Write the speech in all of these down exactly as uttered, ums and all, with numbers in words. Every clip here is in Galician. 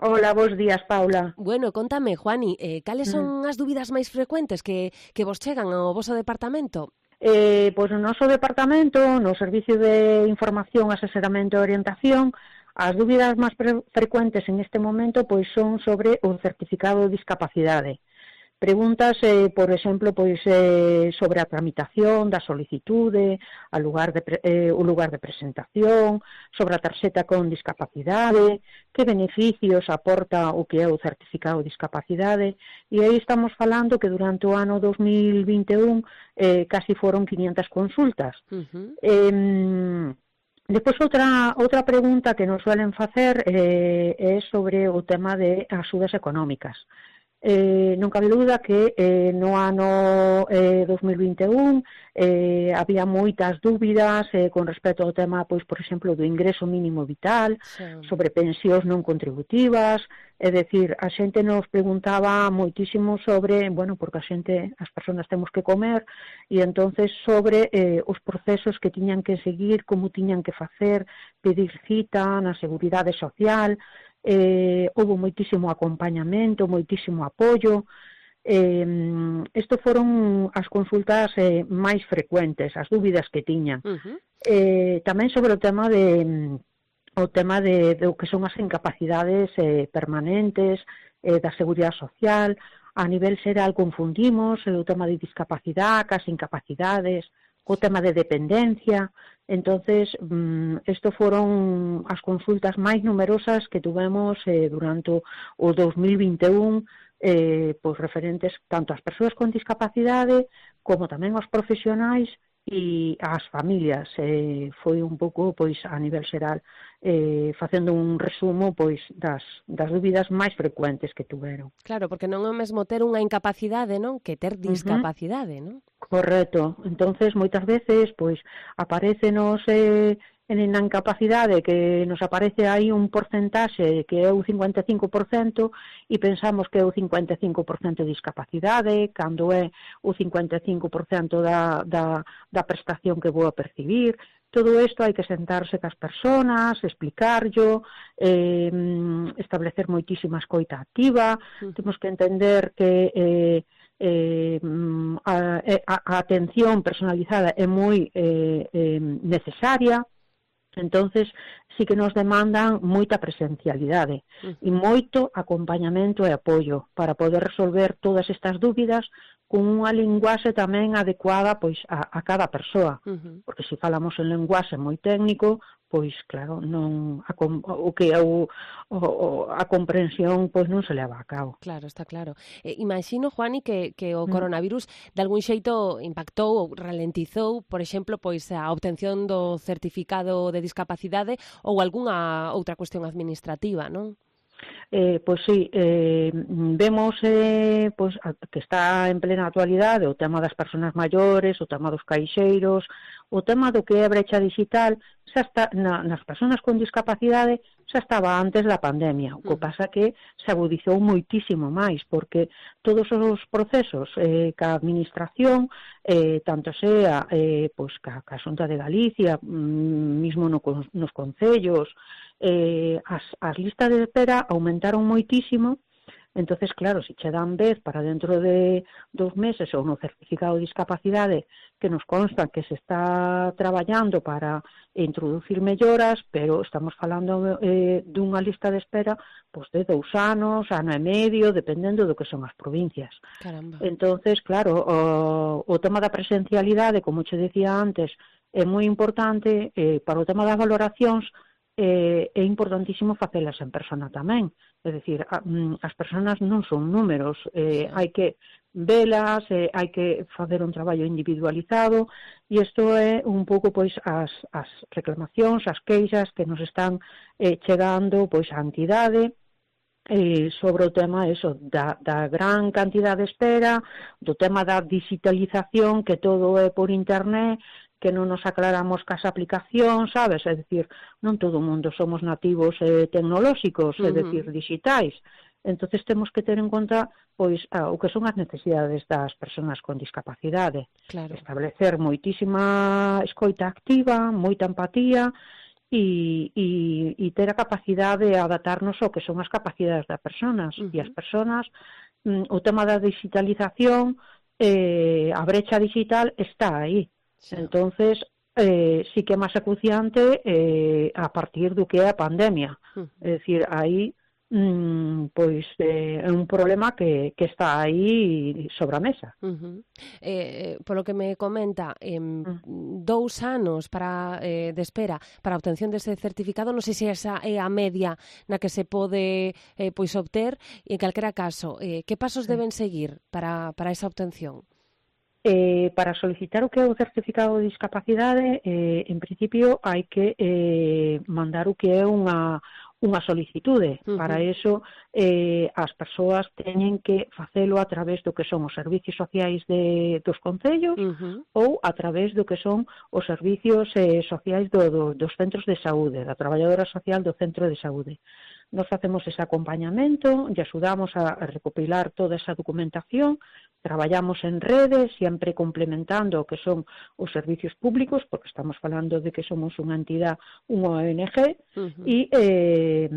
Hola, bos días, Paula. Bueno, contame, Juani, eh, cales Mm. son as dúbidas máis frecuentes que, que vos chegan ao voso departamento? Eh, pois no noso departamento, no Servicio de Información, Asesoramento e Orientación, as dúbidas máis pre- frecuentes en este momento pois son sobre o certificado de discapacidade. Preguntas, eh, por exemplo, pois eh, sobre a tramitación da solicitude, a lugar de, pre- eh, o lugar de presentación, sobre a tarxeta con discapacidade, que beneficios aporta o que é o certificado de discapacidade, e aí estamos falando que durante o ano dos mil vinte e un eh, casi foron quinientas consultas. Uh-huh. Eh, Depois, outra, outra pregunta que nos suelen facer eh, é sobre o tema de axudas económicas. Eh, non cabe dúda que eh, no ano eh, dos mil vinte e un eh, había moitas dúbidas eh, con respecto ao tema, pois, por exemplo, do ingreso mínimo vital, Xa. sobre pensións non contributivas, é dicir, a xente nos preguntaba moitísimo sobre, bueno, porque a xente, as persoas temos que comer, e entonces sobre eh, os procesos que tiñan que seguir, como tiñan que facer, pedir cita na Seguridade Social. Eh, houve moitísimo acompañamento, moitísimo apoio. Eh, isto foron as consultas eh, máis frecuentes, as dúbidas que tiñan. Uh-huh. Eh, tamén sobre o tema de o tema de, de o que son as incapacidades eh, permanentes eh, da Seguridade Social. A nivel xeral confundimos eh, o tema de discapacidade, as incapacidades, o tema de dependencia. Entonces, isto foron as consultas máis numerosas que tuvemos eh, durante o dos mil vinte e un, eh, pois referentes tanto ás persoas con discapacidade como tamén aos profesionais e ás familias. Eh, foi un pouco, pois, a nivel xeral, eh, facendo un resumo, pois, das, das dúbidas máis frecuentes que tuveron. Claro, porque non é o mesmo ter unha incapacidade, non? Que ter discapacidade, Uh-huh. non? Correcto. Entonces, moitas veces, pois, aparecenos eh, na incapacidade que nos aparece aí un porcentaxe que é o cincuenta e cinco por cento e pensamos que é o cincuenta e cinco por cento de discapacidade, cando é o cincuenta e cinco por cento da, da, da prestación que vou a percibir. Todo isto hai que sentarse cas persoas, explicarlo, eh, establecer moitísima escoita activa. Uh-huh. Temos que entender que eh, Eh, a, a, a atención personalizada é moi eh, eh, necesaria. Entonces sí que nos demandan moita presencialidade uh-huh. e moito acompañamento e apoio para poder resolver todas estas dúbidas con unha linguaxe tamén adecuada pois a, a cada persoa, uh-huh. porque se falamos en linguaxe moi técnico, pois claro, non a, o que é o, o, a comprensión pois non se leva a cabo. Claro, está claro. Eh, imagino, Juani, que, que o coronavirus mm. de algún xeito impactou ou ralentizou, por exemplo, pois a obtención do certificado de discapacidade ou algunha outra cuestión administrativa, non? Eh, pois sí, eh, vemos eh, pois, que está en plena actualidade o tema das persoas maiores, o tema dos caixeiros, o tema do que é a brecha digital, xa está, na, nas persoas con discapacidade xa estaba antes da pandemia, o que uh-huh. pasa que se agudizou moitísimo máis, porque todos os procesos eh, que a administración, eh, tanto sea eh, pois, ca, ca Xunta de Galicia, mismo no, nos concellos, eh, as, as listas de espera aumentaron moitísimo. Entonces, claro, se che dan vez para dentro de dos meses ou no certificado de discapacidade que nos consta que se está traballando para introducir melloras, pero estamos falando eh, dunha lista de espera pois, de dous anos, ano e medio, dependendo do que son as provincias. Caramba. Entonces, claro, o, o tema da presencialidade, como che decía antes, é moi importante. Eh, para o tema das valoracións, eh, é importantísimo facelas en persona tamén. É dicir, a, as persoas non son números, eh, sí. hai que velas, eh, hai que facer un traballo individualizado, e isto é un pouco pois as, as reclamacións, as queixas que nos están eh, chegando pois á entidade, eh, sobre o tema eso, da, da gran cantidad de espera, do tema da digitalización, que todo é por internet, que non nos aclaramos cas aplicacións, sabes? É dicir, non todo o mundo somos nativos eh, tecnolóxicos, uh-huh. é dicir, digitais. Entonces temos que ter en conta pois ah, o que son as necesidades das persoas con discapacidade. Claro. Establecer moitísima escoita activa, moita empatía, e, e, e ter a capacidade de adaptarnos ao que son as capacidades das persoas. Uh-huh. E as persoas, mm, o tema da digitalización, eh, a brecha digital está aí. Sí. Entonces, eh, sí que é máis acuciante eh, a partir do que é a pandemia. Uh-huh. É dicir, aí Mm, pois eh, é un problema que, que está aí sobre a mesa. Uh-huh. eh, polo que me comenta, eh, uh-huh. dous anos para eh, de espera para a obtención dese certificado, non sei se esa é a media na que se pode eh, pois obter, e en calquera caso, eh, que pasos sí. deben seguir para, para esa obtención? Eh, para solicitar o que é o certificado de discapacidade, eh, en principio hai que eh, mandar o que é unha unha solicitude. Uh-huh. Para eso, eh, as persoas teñen que facelo a través do que son os servicios sociais de, dos concellos uh-huh. ou a través do que son os servicios eh, sociais do, do, dos centros de saúde, da traballadora social do centro de saúde. Nos facemos ese acompañamento e axudamos a, a recopilar toda esa documentación, traballamos en redes, sempre complementando o que son os servicios públicos, porque estamos falando de que somos unha entidade, unha O N G, uh-huh. e eh,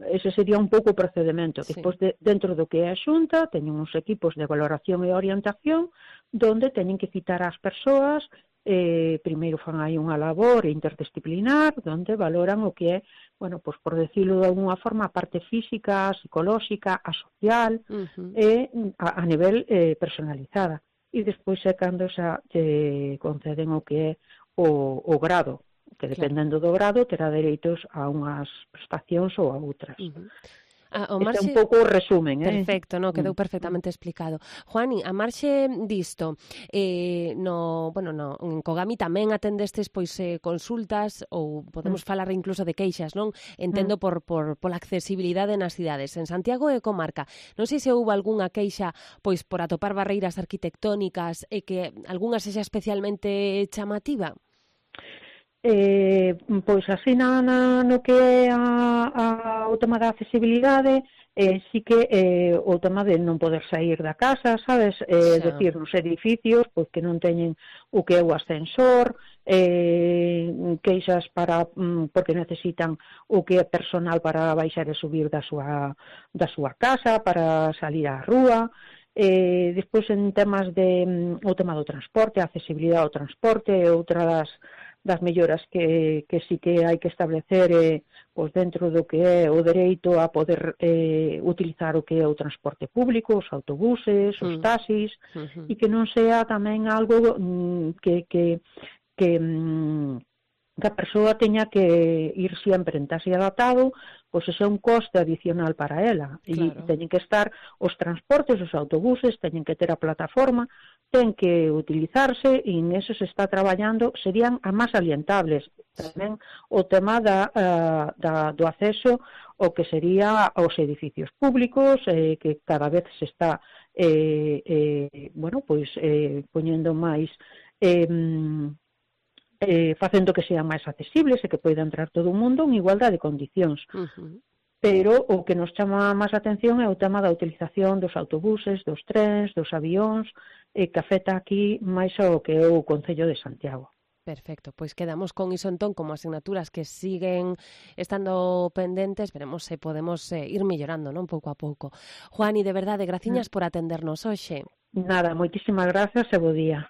ese sería un pouco o procedimento. Sí. Despois, de, dentro do que é a Xunta, teñen uns equipos de valoración e orientación, donde teñen que citar as persoas. Eh, primeiro fan aí unha labor interdisciplinar onde valoran o que é, bueno, pues por decirlo de alguna forma, a parte física, psicolóxica, a social, uh-huh. e a, a nivel eh, personalizada. E despois é cando xa te conceden o que é o, o grado, que dependendo claro. do grado terá dereitos a unhas prestacións ou a outras. Uh-huh. A, o marxe... Este é un pouco o resumen, eh? Perfecto, no, quedou perfectamente explicado. Juani, a marxe disto, eh, no, bueno, no, en Cogami tamén atendestes pois eh, consultas ou podemos mm. falar incluso de queixas, non? Entendo mm. por, por pola accesibilidade nas cidades. En Santiago e comarca, non sei se houve algunha queixa pois por atopar barreiras arquitectónicas e que algunha sexa especialmente chamativa? Eh, pois así na, na, no que é a, a, o tema da accesibilidade, eh, sí que eh, o tema de non poder sair da casa, sabes? Eh, sí. Decir, nos edificios, pois que non teñen o que é o ascensor, eh, queixas para porque necesitan o que é personal para baixar e subir da súa, da súa casa, para salir á rúa. Eh, despois en temas de o tema do transporte, a accesibilidade ao transporte, outra das das melloras que, que sí que hai que establecer eh, pois dentro do que é o dereito a poder eh, utilizar o que é o transporte público, os autobuses, os taxis, uh-huh. e que non sea tamén algo mm, que, que, que, mm, que a persoa teña que ir sempre en taxi adaptado, pois ese é un coste adicional para ela. Claro. E teñen que estar os transportes, os autobuses, teñen que ter a plataforma, ten que utilizarse e en eso se está traballando, serían as máis alientables. Tamén o tema da, uh, da, do acceso ao que sería aos edificios públicos, eh, que cada vez se está eh, eh, bueno, pois eh, poñendo máis eh, eh, facendo que sean máis accesibles e que poida entrar todo o mundo en igualdade de condicións. Uh-huh. Pero o que nos chama máis atención é o tema da utilización dos autobuses, dos trens, dos avións, e que afecta aquí máis ao que é o Concello de Santiago. Perfecto, pois quedamos con iso entón como asignaturas que siguen estando pendentes, veremos se podemos eh, ir mellorando, non, pouco a pouco. Juani, de verdade, graciñas mm. por atendernos hoxe. Nada, moitísimas grazas e bo día.